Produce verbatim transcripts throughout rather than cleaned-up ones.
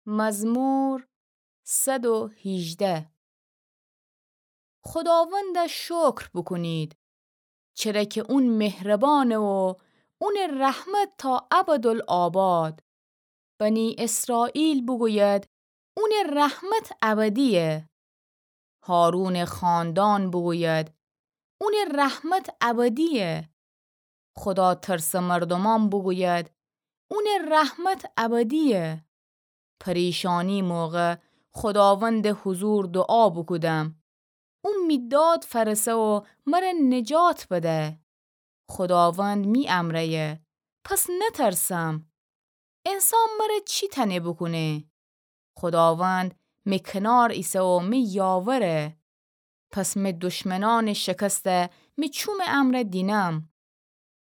مزمور صد و هیجده. خوداوند شکر بوکونید، چره کی اون مهربانه و اون رحمت تا ابدالآباد. بنی اسرائیل بوگوید، اون رحمت ابدیه. هارون خاندان بوگوید، اون رحمت ابدیه. خدا ترس مردمان بوگوید، اون رحمت ابدیه. پریشانی موقع خوداوند حضور دعا بوکودم. او می داد فأرسه و مره نجات بده. خوداوند می امرأیه، پس نترسم. انسان مره چی تأنه بوکونه؟ خوداوند می کنار ایسه و می یاوره. پس می دشمنان شکسته می چوم امرأ دینم.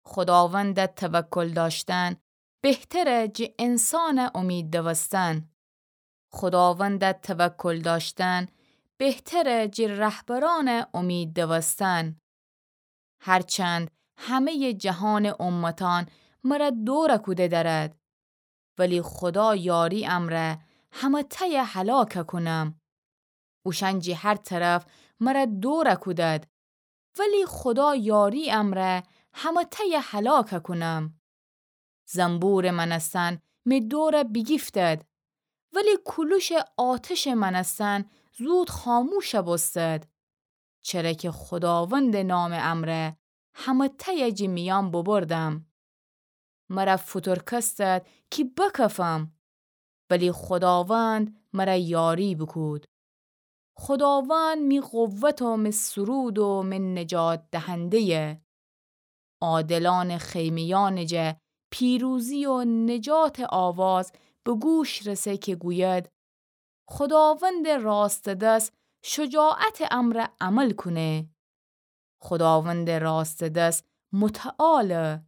خوداوند توکل داشتن بهتره جه انسان امید دوستن. خوداوند توکل داشتن بهتره جه رهبران امید دوستن. هرچند همهٔ جهان امتان مره دور کوده درد، ولی خدا یاری امرأ همه‌تأی هلاک کونم. اوشأن جه هر طرف مره دور کودد، ولی خدا یاری امرأ همه‌تأی هلاک کونم. زنبور مأنستن می دور بیگیفتد، ولی کولوش آتش مأنستن زود خاموش بوستد. چره که خوداوند نام امرأ همه‌تأی جه میأن ببردم. مره فوتورکستد کی بکفم، ولی خوداوند مره یاری بوکود. خوداوند می قوت و می سرود و می نجات دهنده‌یه. عادلان خیمه‌یأن جه پیروزی و نجات آواز به گوش رسه که گوید: خوداوند راست دس شجاعت امرأ عمل کونه. خوداوند راست دس متعاله.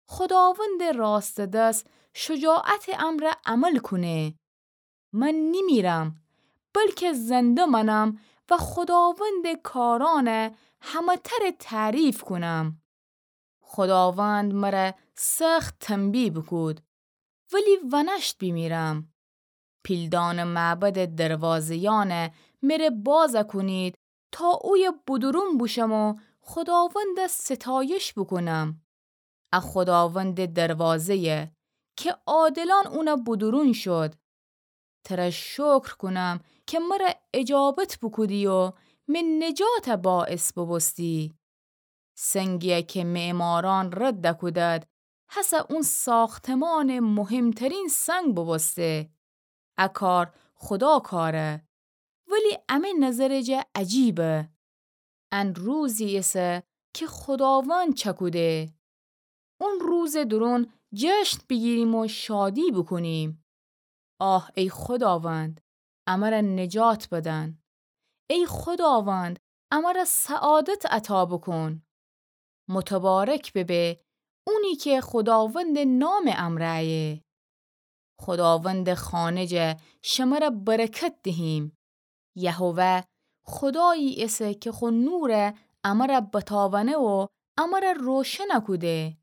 خوداوند راست دس شجاعت امرأ عمل کونه. من نیمیرم، بلکه زنده مأنم و خوداوند کارأن همه‌تر تعریف کونم. خوداوند مره سخت تنبیه بوکود، ولی ونشت بیمیرم. پیلدأن معبد دروازه‌یأن مره باز کونید تا اویه بودورون بوشم و خوداوند ستایش بوکونم. ا خوداوند دروازه‌یه که عادلأن اون بودورون شد. تره شکر کونم که مره اجابت بوکودی و می نجات باعث بوبوستی. سنگی‌یه که معمارأن رد کودد، هسه اون ساختمأن مهمترین سنگ بوبوسته. ا کار خدا کاره، ولی امه نظر جه عجیبه. ان روزی ایسه که خوداوند چکوده. اون روز دورون جشن بیگیریم و شادی بوکونیم. آه ای خوداوند، امره نجات بدن. ای خوداوند، امره سعادت عطا بوکون. متبارک ببه اونی که خوداوند نام امرأیه. خوداوند خانه جه شمره برکت دهیم. یهوه خدایی ایسه که خو نور امره بتاونه و امره روشن کوده.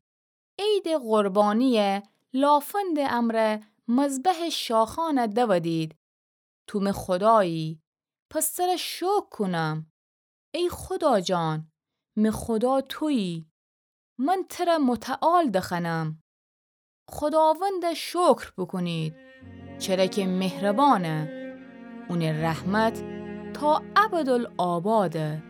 عید قربانی لافند امرأ مذبح شاخان دودید. تو می خدایی، پس تره شکر کونم. ای خدا جان، می خدا تویی. من تره متعال دخوأنم. خداوند شکر بوکونید، چره که مهربانه. اون رحمت تا ابدالآباده.